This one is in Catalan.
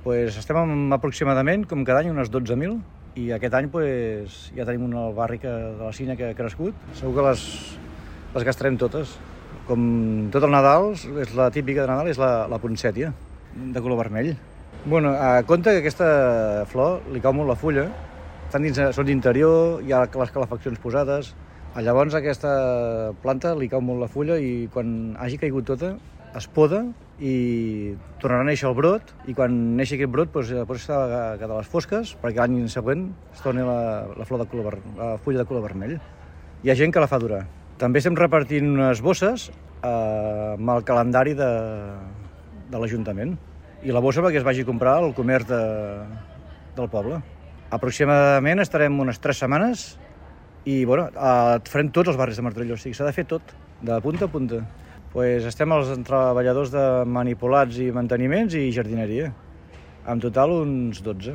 Estem aproximadament, com cada any, unes 12.000, i aquest any ja tenim un barri de la Sínia que ha crescut. Segur que les gastarem totes. Com tot el Nadal, és la típica de Nadal, és la poncètia, de color vermell. A compte que aquesta flor li cau molt la fulla, són d'interior, hi ha les calefaccions posades, llavors aquesta planta li cau molt la fulla i quan hagi caigut tota es poda i tornarà a néixer el brot, i quan neixi aquest brot s'ha de les fosques perquè l'any següent es torni la fulla de color vermell. Hi ha gent que la fa durar. També estem repartint unes bosses amb el calendari de l'Ajuntament, i la bossa perquè es vagi a comprar al comerç del poble. Aproximadament estarem unes 3 setmanes i farem tots els barris de Martorell, o sigui, s'ha de fer tot, de punta a punta. Estem els treballadors de manipulats i manteniments i jardineria, en total uns 12.